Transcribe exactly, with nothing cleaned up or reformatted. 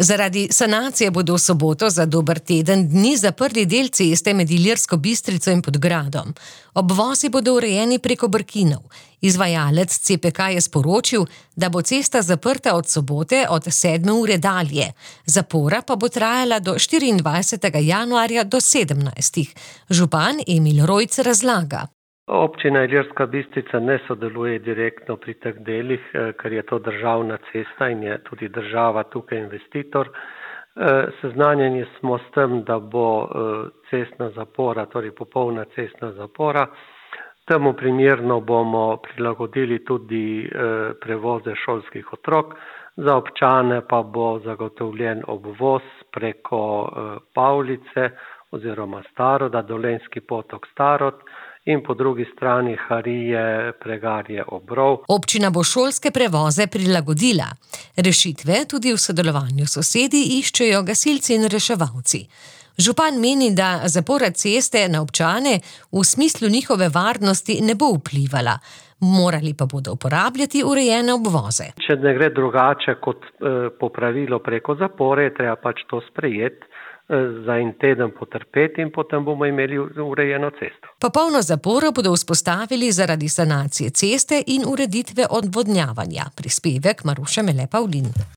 Zaradi sanacije bodo v soboto za dober teden dni zaprli del ceste med Ilirsko Bistrico in Podgradom. Obvozi bodo urejeni preko Brkinov. Izvajalec C P K je sporočil, da bo cesta zaprta od sobote od sedme ure dalje. Zapora pa bo trajala do štiriindvajsetega januarja do sedemnajstih. Župan Emil Rojc razlaga. Občina Ilirska Bistrica ne sodeluje direktno pri teh delih, ker je to državna cesta in je tudi država tukaj investitor. Seznanjeni smo s tem, da bo cestna zapora, torej popolna cestna zapora. Temu primerno bomo prilagodili tudi prevoze šolskih otrok. Za občane pa bo zagotovljen obvoz preko Pavlice oziroma Staroda, Dolenjski potok Starod, in po drugi strani Harije, Pregarje, Obrov. Občina bo šolske prevoze prilagodila. Rešitve tudi v sodelovanju s sosedi iščejo gasilci in reševalci. Župan meni, da zapora ceste na občane v smislu njihove varnosti ne bo vplivala. Morali pa bodo uporabljati urejene obvoze. Če ne gre drugače kot popravilo preko zapore, treba pač to sprejeti, za en teden potrpeti in potem bomo imeli urejeno cesto. Popolno zaporo bodo vzpostavili zaradi sanacije ceste in ureditve odvodnjavanja. Prispevek Maruše Mele Pavlin.